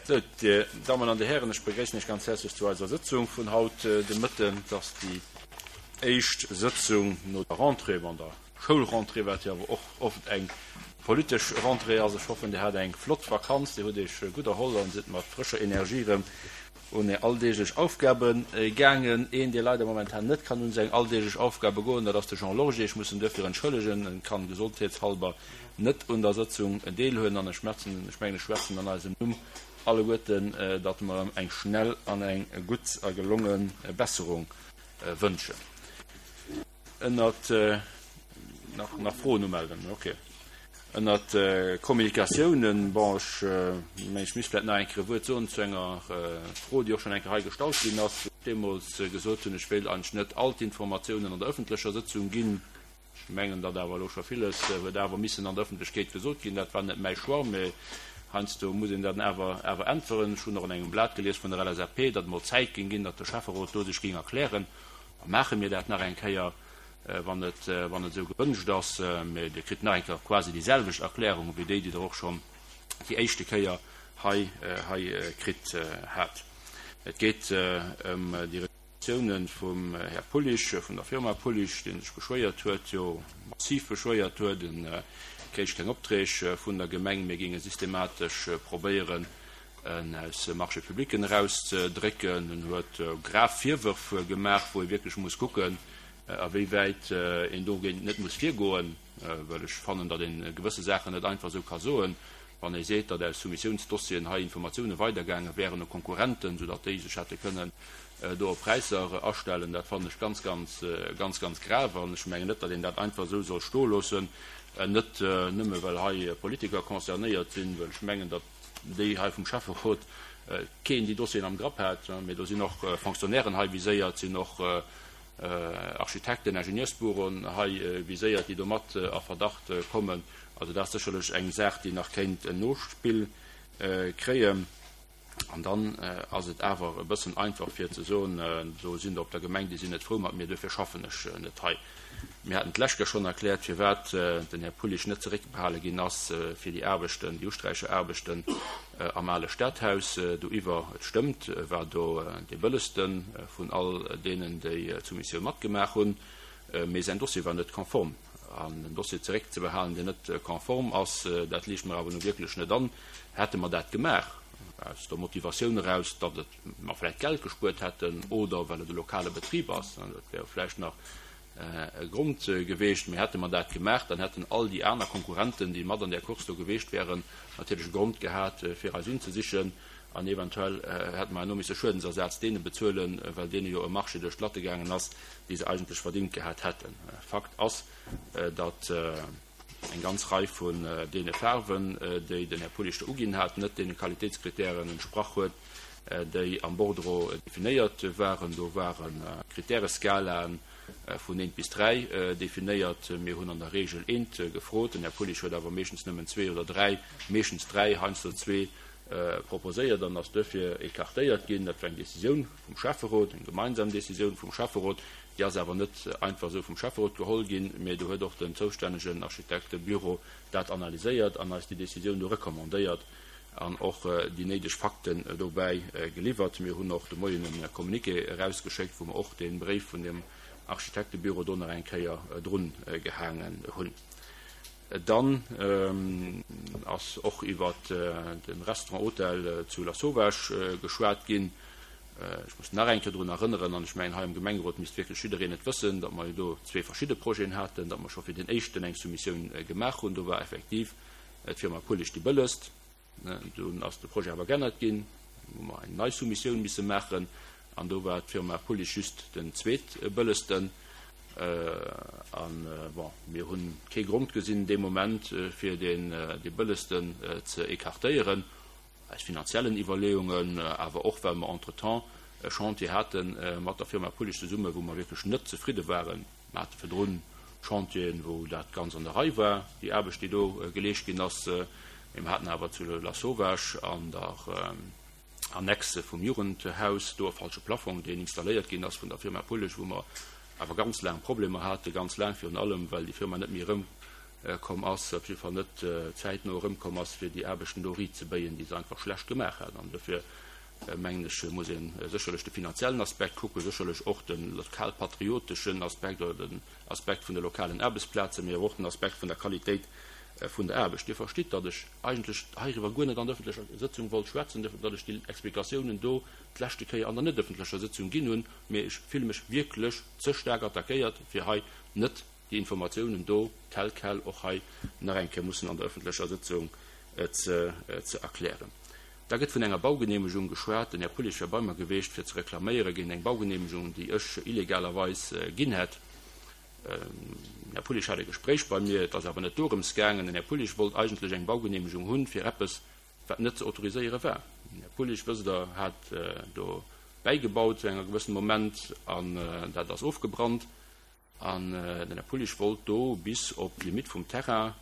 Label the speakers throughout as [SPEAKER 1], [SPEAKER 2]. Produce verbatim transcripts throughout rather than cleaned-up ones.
[SPEAKER 1] Sou, Dir Dammen an Dir Hären, ech begréissen Iech ganz häerzlech zu eiser Sëtzung vun haut de Mëtten. Et ass déi éischt Sëtzung no der Rentrée, bon, der Schoulrentrée, wat jo awer och oft eng politesch Rentrée ass. Ech hoffen, Dir hat eng flott Vakanz, Dir hutt Iech gutt erholl an sidd mat frëscher Energie erëm un Är alldeeglech Aufgabe gaangen. Een, dee leider momentan net kann un seng alldeeglech Aufgabe goen, dat ass de Jean Lorgé. Ech muss en duerfir entschëllegen, en kann gesondheetshalber net un der Sëtzung deelhuelen an ech schwätzen, ech mengen, ech schwätzen an eisem Numm alleguerten, datt mer em eng schnell an eng gutt a gelonge Besserung wënschen. Ënnert, nach, nach Froen umelden? Okay. Ënnert Kommunikatiounen, bon, ech mengen, ech misst vläicht nach eng Kéier e Wuert soen zu enger Fro, déi och schonn eng Kéier hei gestallt ginn ass, wou ech deemools gesot hunn, ech wéilt eigentlech net all d'Informatiounen an der ëffentlecher Sëtzung ginn. Ech mengen, datt awer elo scho villes huet awer missen an der Ëffentlechkeet gesot ginn. Dat war net mäi Choix, mä heiansdo muss een dann awer awer äntweren. Ech hunn och an engem Blat gelies vun der L S A P, datt emol Zäit géing ginn, datt de Schäfferot do sech géing erklären. Da maache mir dat nach eng Kéier, wann et wann et esou gewënscht ass. Mä Dir kritt nach eng Kéier quasi déi selwecht Erklärung wéi déi, déi Der och schonn déi éischte Kéier hei hei kritt hat. Et geet ëm déi Reklamatiounen vum Här Pullich, vun der Firma Pullich, dee sech beschwéiert huet, jo massiv beschwéiert huet, en kréich keng Opträg vun der Gemeng, mir géinge systematesch probéieren, en aus Marchés publicen erauszedrécken. En huet grav Virwërf gemaach, wou ee wierklech muss kucken, a wéi wäit een dogéint net muss virgoen, well ech fannen, datt ee gewësse Saachen net einfach esou ka soen. Wann ee seet, datt aus Soumissiounsdossieren hei Informatioune weidergaange wären u Konkurrenten, soudatt déi sech hätte kënnen do op Präisser astellen, dat fannen ech ganz, ganz, ganz, ganz grav. An ech mengen net, datt een dat einfach esou soll stoe loossen, net nëmme well hei Politiker concernéiert sinn, well ech mengen, datt déi hei vum Schäfferot keen déi Dossieren am Grapp hat, mee do sinn och Fonctionnairen hei viséiert, sinn och Architekten, Ingenieursbüroen hei viséiert, déi do mat a Verdacht kommen. Also dat ass sécherlech eng Saach, déi nach kéint en Nospill kréien. An dann ass et awer e bëssen einfach fir ze soen, do sinn der op der Gemeng, déi sinn net frou mat mir, duerfir schaffen ech net hei. Mir haten d'lescht Kéier schonn erkläert, firwat den Här Pullich net zeréckbehale ginn ass fir déi Aarbechten, déi Usträicheraarbechten am ale Stadhaus doiwwer. Et stëmmt, e war do dee bëllegste vun all deenen, déi d'Soumissioun matgemaach hunn, mee säin Dossier war net konform. An en Dossier zeréckzebehalen, deen net konform ass, dat liicht mer awer nu wierklech net an. Hätte mer dat gemaach aus der Motivatioun eraus, datt et mer vläicht Geld gespuert hätten oder well et e lokale Betrib ass, dat wär jo vläicht nach e Grond geweecht, mee hätte mer dat gemaach, dann hätten all déi aner Konkurrenten, déi mat an där Course do geweecht wären, natierlech e Grond gehat, fir eis unzesichen an eventuell hätte mer herno misse Schuedensersaz deene bezuelen, well deene jo e Marché duerch d'Latte gaangen ass, dee se eigentlech verdingt gehat hätten. Fakt ass, datt eng ganz Rei vun deene Faarwen, déi den Här Pullich do uginn hat, net deene Qualitéitskritären entsprach huet, déi am Bordereau definéiert waren. Do ware Kritäreskalaen vun eent bis dräi definéiert. Mir hunn an der Regel eent gefrot. Den Här Pullich huet awer meeschtens nëmmen zwee oder dräi, meeschtens dräi, heiansdo zwee proposéiert an ass duerfir écartéiert ginn. Dat war eng Décisioun vum Schäfferot, eng gemeinsam Décisioun vum Schäfferot. Déi ass awer net einfach esou vum Schäfferot geholl ginn, mä do huet och den zoustännegen Architektebüro dat analyséiert an eis déi Décisioun do recommandéiert an och déi néideg Fakten dobäi geliwwert. Mir hunn och de Moien e Communiqué erausgeschéckt, wou mer och dee Bréif vun deem Architektebüro do nach eng Kéier drun gehaangen hunn. Dann ass och iwwer de Restaurant Hotel zu Lasauvage geschwat ginn. Ech muss nach eng Kéier drun erënneren, an ech mengen, hei am Gemengerot misst wierklech jiddereen et wëssen, datt mer jo do zwee verschidde Projeten haten, datt mer scho fir deen éischten eng Soumissioun gemaach hunn. Do war effektiv d'Firma Pullich déi bëllegst. Dunn ass de Projet awer geännert ginn, hu mer eng nei Soumissioun misse maachen an do war d'Firma Pullich just den zweetbëllegsten. An, bon, mir hu kee Grond gesinn dee Moment, fir deen dee bëllegsten ze écartéieren, aus finanziellen Iwwerleeungen, awer och well mer entretemps e Chantier hate mat der Firma Pullich zesummen, wou mer wierklech net zefridde waren. Mer hate virdrun Chantieren, wou dat ganz an der Rei war, déi Aarbecht, déi do geleescht ginn ass, mee mer haten awer zu Lasauvage an der Annexe vum Jugendhaus do e falsche Plafong, deen installéiert ginn ass vun der Firma Pullich, wou mer awer ganz laang Problemer haten, ganz laang virun allem, well déi Firma net méi erëm komm ass, op jidde Fall net zäitno erëmkomm ass, fir déi Aarbechten do riitzebéien, déi se einfach schlecht gemaach hat. An dofir mengen ech, muss ee sécherlech de finanziellen Aspekt kucken, sécherlech och de lokalpatrioteschen Aspekt oder den Aspekt vun de lokalen Aarbechtsplazen, mee awer och den Aspekt vun der Qualitéit vun der Aarbecht. Dir verstitt, datt ech eigentlech heiriwwer guer net an der öffentlecher Sëtzung wollt schwätzen, datt ech déi Explikatiounen do d'leschte Kéier an der net öffentlecher Sëtzung ginn hunn, mee ech fille mech wierklech ze staark attackéiert, fir hei net déi Informatiounen do tel quel och hei nach eng Kéier mussen an der öffentlecher Sëtzung ze erklären. Da gëtt vun enger Baugenehmegung geschwat. Den Här Pullich wär bei mer geweecht, fir ze reklaméiere géint eng Baugenehmegung, déi ech illegalerweis ginn hätt. Den Här Pullich hat e Gespréich bei mir, et ass awer net dorëms gaangen. Den Här Pullich wollt eigentlech eng Baugenehmegung hunn fir eppes, wat net ze autoriséiere war. Den Här Pullich, wësst Der, hat do bäigebaut zu engem gewëssene Moment an dat ass ofgebrannt. An den Här Pullich wollt do bis op d'Limitt vum Terrain,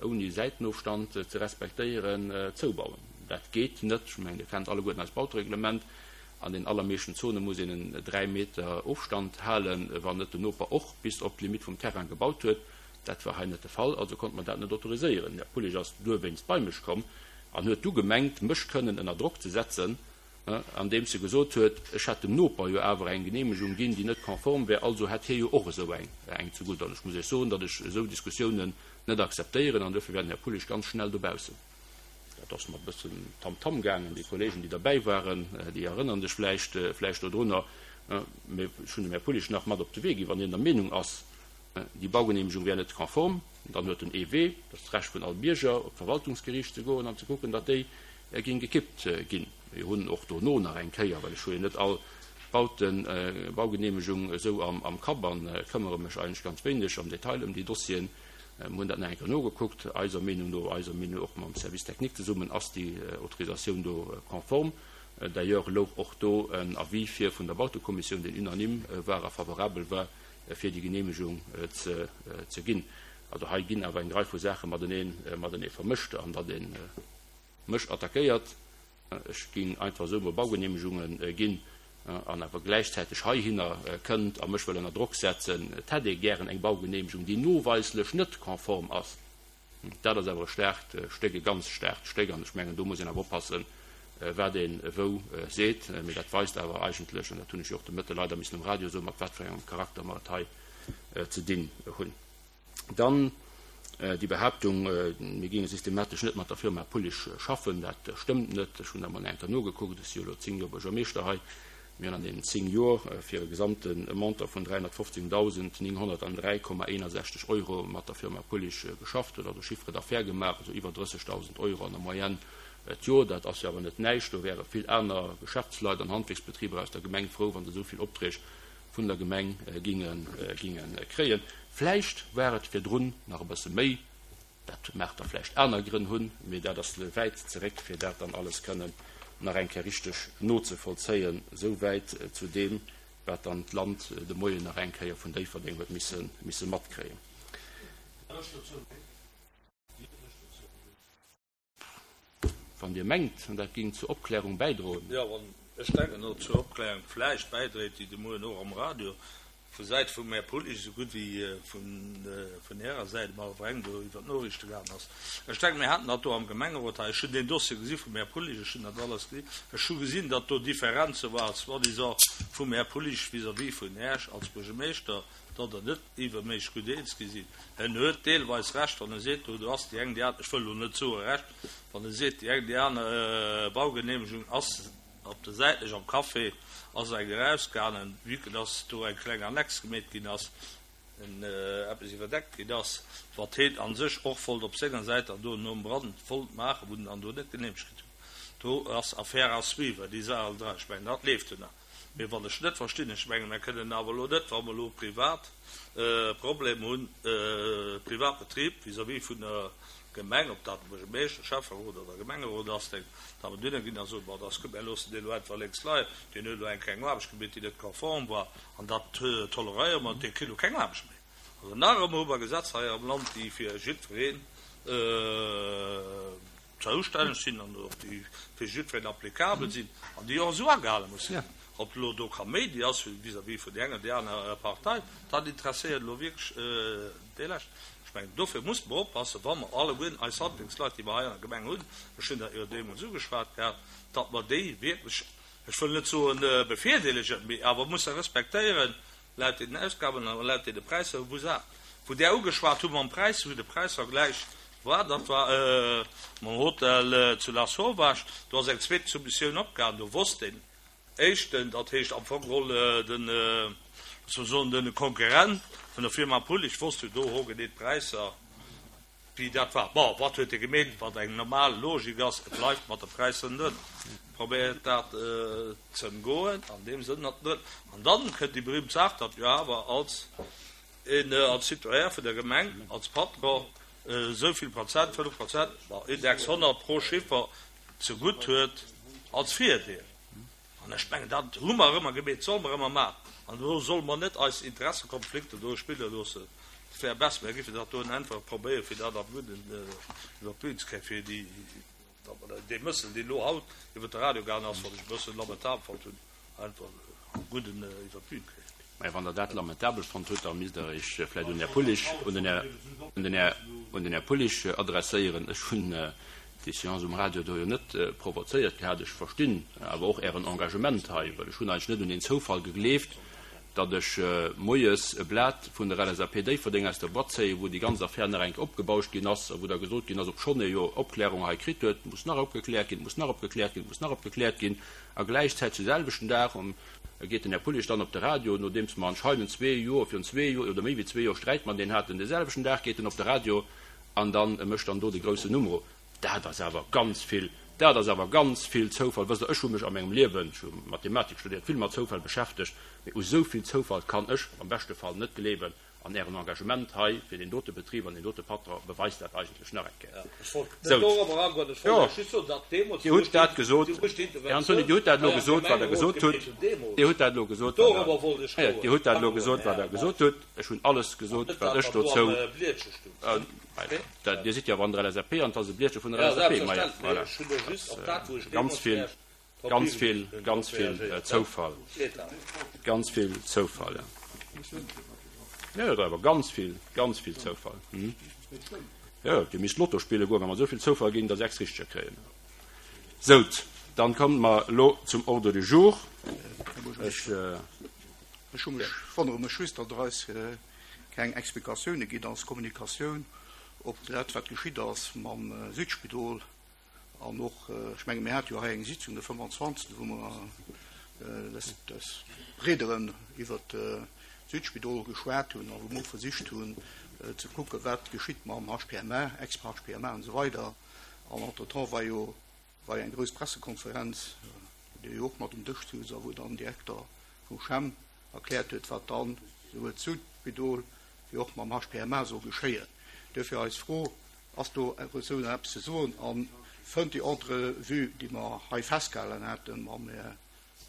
[SPEAKER 1] ouni Säitenofstand ze respektéieren, zoubauen. Dat geet net. Ech mengen, Dir kennt alleguerten eist Bautereglement. An den allermeeschten Zone muss een en dräi Meter Ofstand halen, wann net den Noper och bis op d'Limitt vum Terrain gebaut huet. Dat war hei net de Fall, also konnte mer dat net autoriséieren. Den Här Pullich ass duerwéinst bei mech komm an huet du gemengt, mech kënnen ënner Drock ze setzen, andeems e gesot huet, ech hätt dem Noper jo awer eng Geneemegung ginn, déi net konform wär, also hätt hie jo och esou eng eng zegutt. An ech muss Iech soen, datt ech esou Diskussiounen net akzeptéieren an duerfir wär den Här Pullich ganz schnell dobaussen. Dat ass mat e bëssen Tamtam gaangen. Déi Kolleegen, déi derbäi waren, déi erënnere sech vläicht vläicht dodrunner. Mee ech hunn dem Här Pullich nach mat op de Wee ginn, wann hien der Meenung ass, déi Baugeneemegung wär net konform, dann huet en ee Wee, dat ass d'Recht vun all Bierger, op d'Verwaltungsgeriicht ze goen an ze kucken, datt déi géing gekippt ginn. Mir hunn och dono nach eng Kéier, well ech hu jo net all Bauten, Baugeneemegung esou am Kapp an këmmere mech eigentlech ganz wéineg am Detail ëm déi Dossieren, mir hunn dat nach eng Kéier nogekuckt. Eiser Meenung no, eiser Meenung och mam Service technique zesummen, ass déi Autorisatioun do konform. D'ailleurs louch och do en Avis vir vun der Bautekommissioun, deen unanime war a favorabel war, fir déi Geneemegung ze ginn. Also hei ginn awer eng Rei vu Saache matenee matenee vermëscht an datt ee mech attackéiert, ech géing einfach esou mol Baugeneemegunge ginn an awer gläichzäiteg heihinner kënnt a mech wëll ënner Drock setzen, et hätt ee gären eng Baugeneemegung, déi noweislech net konform ass. Dat ass awer e staarkt Stéck, e ganz staarkt Stéck an ech mengen, do muss een awer oppassen, wat ee wou seet. Mee dat weist awer eigentlech, an dat hunn ech jo och de Mëtte leider missen um Radio soen, mat wat fir engem Charakter mer et hei ze dinn hunn. Dann déi Behaaptung, mir géinge systematesch net mat der Firma Pullich schaffen, dat stëmmt net. Ech hunn da mol eng Kéier nogekuckt, ech si jo elo zéng Joer Buergermeeschter hei. Mir hunn an deenen zéng Joer fir e gesamte Montant vun dräihonnertfofzéngdausend nénghonnertdräi Komma eenasechzeg Euro mat der Firma Pullich geschafft, huet also Chiffre d'affaires gemaach, also iwwer drëssegdausend Euro an der Moyenne d'Joer. Dat ass jo awer net näischt. Do wäre vill aner Geschäftsleit an Handwierksbetriber aus der Gemeng frou, wa se esou vill Opträg vun der Gemeng ginge kréien. Vläicht war et virdrun nach e bësse méi, dat mag da vläicht aner Grënn hunn, mee dat ass wäit zeréck, fir dat dann alles kënnen nach eng Kéier richteg nozevollzéien. Esou wäit zu deem, wat dann d'Land de Moien nach eng Kéier vun Déifferdeng huet misse matkréien. Wann Dir mengt, dat géing zur Opklärung bäidroen.
[SPEAKER 2] Jo, wann ech denken, datt et zur Opklärung vläicht bäidréit, déi de Moien och am Radio vu Säit vum Här Pullich esou gutt wéi vun Ärer Säit am Allgemeng do iwwer d'Noriichte gaangen ass. Ech denken, mir haten dat do am Gemengerot hei. Ech hunn deen Dossier gesi vum Här Pullich, ech hunn dat alles gesinn. Ech hu gesinn, datt do Differenze waren, soi-disant vum Här Pullich vis-à-vis vun Äech als Buergermeeschter, datt Der net iwwerméisseg gutt eens gi sidd. En huet deelweis Recht, wann e seet, do do ass déi eng, déi aner, ech wëll elo net soe Recht, wann e seet, déi eng, déi aner Baugenehmegung ass op der säitlech am Café ass eng erausgaangen, vue que dass do eng kleng Annex gemeet ginn ass, en eppes iwwerdeckt ginn ass, wat heen a sech och wollt op senger Säit dann do nom Brand wollt maachen, wou en dann do net genehmegt kritt huet. Do ass Affaire à suivre, déi Saach all dra. Ech mengen, dat leeft jo nach. Mee wat ech net verstinn, ech mengen, mir kënnen awer elo net, wa mer elo privat Problem hunn, Privatbetrib vis-à-vis vun der Gemeng, ob dat de Buergermeeschter, Schäfferot oder Gemengerot ass, da mer dunne ginn a soen, bon, dat ass gutt, mir loossen deen elo einfach lénks leien, deen huet elo eng kleng Aarbecht gemeet, déi net konform war, an dat toleréiere mer, dee kritt elo keng Aarbecht méi. Also nach ëmmer hu mer Gesetzer hei am Land, déi fir jiddwereen zoustänneg sinn an och déi fir jiddwereen applicabel sinn an déi och esou agehale musse ginn. Ob elo do Kaméidi ass vis-à-vis vun där enger oder där anerer Partei, dat interesséiert elo wierklech dee Leschten. Ech mengen, dofir muss mer oppassen, wa mer alleguerten eis Handwierksleit, déi mer hei an der Gemeng hunn, ech hunn dat jo deemools ugeschwat gehat, datt mer déi wierklech, ech wëll net soen bevirdeelegen, mee awer musse respektéieren, laut deenen Ausgaben a laut deene Präisser, wou se, wou där ugeschwat hu mam Präis, wou de Präisvergläich war, dat war mam Hotel zu Lasauvage, do ass eng zweet Soumissioun opgaangen, do wosst deen éischten, dat heescht am Fong geholl den, loosse mer soen, de Konkurrent vun der Firma Pullig wosst jo do hogenee d'Präisser, wéi dat war. Bon, wat huet e gemeet, wat eng normal Logik ass, e bleift mat de Präisser ënnen, probéiert dat ze ëmgoen an deem Sënn, datt net. An dann kënnt déi berühmt Saach, datt jo awer als een, als Citoyen vun der Gemeng, als Patron esou vill Prozent, fënnef Prozent, bon, Index honnert pro Chiffer zegutt huet als Virdeel. An ech mengen, dat hu mer ëmmer gemeet, solle mer ëmmer maachen. An do solle mer net eis Interessekonflikter do spille loossen. Et wär besser, mer géifen dat doen einfach probéieren, fir dat am Gudden iwwer d'Bün ze kréien, fir déi, datt mer dee Mëssel, deen elo haut iwwer de Radio gaangen ass, wat ech e bësse lamentabel fonnt hunn, einfach am Gudden iwwer d'Bün kréien.
[SPEAKER 1] Mä wann Der dat lamentabel fonnt hutt, da misst Der Iech vläicht un den Här Pullich, un den Här, un den Här, un den Här Pullich adresséieren. Ech hunn déi Seance um Radio do jo net provozéiert gehat. Ech verstinn awer och Ären Engagement hei, well ech hunn eigentlech net un den Zoufall gegleeft, datt ech moies e Blat vun der L S A P Déifferdeng aus der Boîte zéien, wou déi ganz Affär nach eng Kéier opgebauscht ginn ass a wou da gesot ginn ass, obschonn ee jo Opklärung hei kritt huet, et muss nach opgekläert ginn, et muss nach opgekläert ginn, et muss nach opgekläert ginn. A gläichzäiteg de selwechten Dag um geet den Här Pullich dann op de Radio, nodeems mer anscheinend zwee Joer, virun zwee Joer oder méi wéi zwee Joer Sträit mat deen haten, de selwechten Dag geet en op de Radio an dann mécht dann do de groussen Numero. Dat ass awer ganz vill, dat ass awer ganz vill Zoufall. Wësst Der, ech hu mech a mengem Liewen, ech hu Mathematik studéiert, vill mat Zoufäll beschäftegt, mee u sou vill Zoufall kann ech am beschte Fall net gleewen. An Ären Engagement hei fir deen dote Betrib an deen dote Patron beweist dat eigentlech nach eng Kéier. Sou, jo, Dir hutt dat gesot, Här Antony, Dir hutt dat elo gesot, wat Der gesot hutt. Dir hutt dat elo gesot, wat Der, Dir hutt dat elo gesot, wat Der gesot hutt. Ech hunn alles gesot, wat ech dozou, Dir sidd jo awer an der L S A P an et ass e Blietche vun der L S A P. Maja, voilà. Ganz vill, ganz vill, ganz vill Zoufall. Ganz vill Zoufall, ja. Ja, dat awer ganz vill, ganz vill Zoufall. Jo, Dir misst Lotto spille goen, wa mer esou vill Zoufall géingen der sechs Richteger kréien. Sout, dann komme mer elo zum Ordre du jour. Ech.
[SPEAKER 3] Ech hu mech, wonnere mech just, datt Der eis keng Explikatioune gitt als Kommunikatioun op dat, wat geschitt ass mam Südspidol. An och, ech menge mir hate jo hei eng Sitzung de fënfanzwanzegsten, wou mer des, des Breederen iwwert d'Südspidol geschwat hunn a wou mer och versicht hunn ze kucken, wat geschitt mam H P M A, Ex-H P M A an esou weider. An entretemps war jo, war jo eng grouss Pressekonferenz, wou Dir jo och mat um Dësch souz a wou dann den Direkter vum C H E M erkläert huet, wat dann souwuel d'Südspidol wéi och mam H P M A soll geschéien. Duerfir eis Fro, ass do esou nach eppes ze soen a fënnt déi Entrevue, déi mer hei festgehalen haten mam,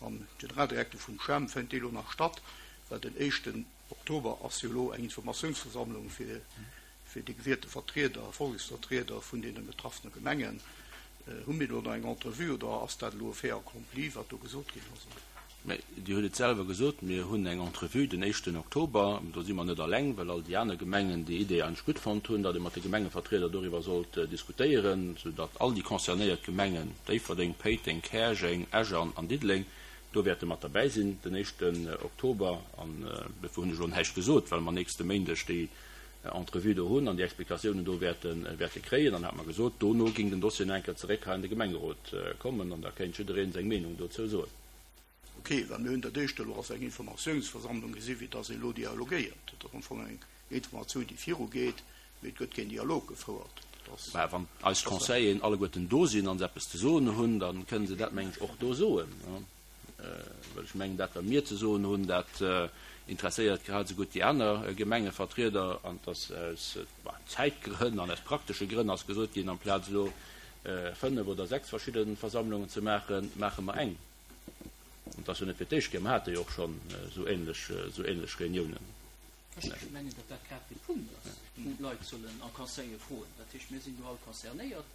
[SPEAKER 3] mam Generaldirektor vum C H E M, fënnt déi elo nach statt? Well den éischten Oktober ass jo elo eng Informatiounsversammlung fir, fir déi gewielte Vertrieder, Volleksvertrieder vun deene betraffene Gemengen. Hu mir do nach eng Entrevue oder ass dat elo e fait accompli, wat do gesot ginn ass?
[SPEAKER 1] Mä Dir hutt et selwer gesot, mir hunn eng Entrevue den éischten Oktober. Do si mer net alleng, well all déi aner Gemengen déi Idee eigentlech gutt fonnt hunn, datt ee mat de Gemengevertrieder doriwwer sollt diskutéieren, soudatt all déi concernéiert Gemengen, Déifferdeng, Péiteng, Käerjeng, Esch an Diddeleng, do wäerte mat derbäi sinn den éischten Oktober. An dofir hunn ech elo näischt gesot, well mer nächste Méindeg déi Entrevue do hunn an déi Explikatiounen do wäerte, wäerte kréien. An hat mer gesot, dono géing den Dossier nach eng Kéier zeréck hei an de Gemengerot kommen an da kéint jiddereen seng Meenung dozou soen.
[SPEAKER 3] Okay, well mir hunn dat éischt elo als eng Informatiounsversammlung gesi wéi dass ee elo dialogéiert. Dat ass am Fong eng Informatioun, déi virugeet, mee et gëtt keen Dialog gefouert. Dat ass
[SPEAKER 1] Mä wann eis Conseilleren alleguerten do sinn an se eppes ze soen hunn, da kënnen se dat, mengen ech, och do soen. Well ech mengen, dat, wat mir ze soen hunn, dat interesséiert grad esou gutt déi aner Gemengevertrieder. An dass aus Zäitgrënn an aus praktesche Grënn ass gesot ginn, amplaz elo fënnef oder sechs verschidde Versammlungen ze maachen, maache mer eng. Und das jo net fir d'éischt Kéier, mer hate jo och schonn esou ähnlech, esou ähnlech Reuniounen.
[SPEAKER 4] Ech mengen, datt dat grad de Punkt ass, wou d'Leit sollen a Conseille froen. Dat heescht, mir sinn do all concernéiert.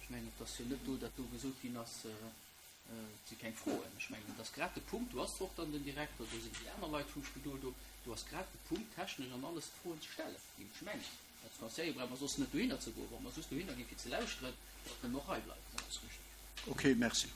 [SPEAKER 4] Ech mengen, et ass jo net do, datt do gesot ginn ass, et si keng Froen. Ech mengen, et ass grad de Punkt, do ass och dann den Direkter, do sinn déi aner Leit vum Spidol do, do ass grad de Punkt, technesch an alles Froen ze stellen, géif ech mengen. Als Conseiller brauche mer soss net dohinner ze goen, wa mer soss dohinner ginn, fir ze lauschteren, datt mer och hei bleiwen.
[SPEAKER 3] Okay, merci.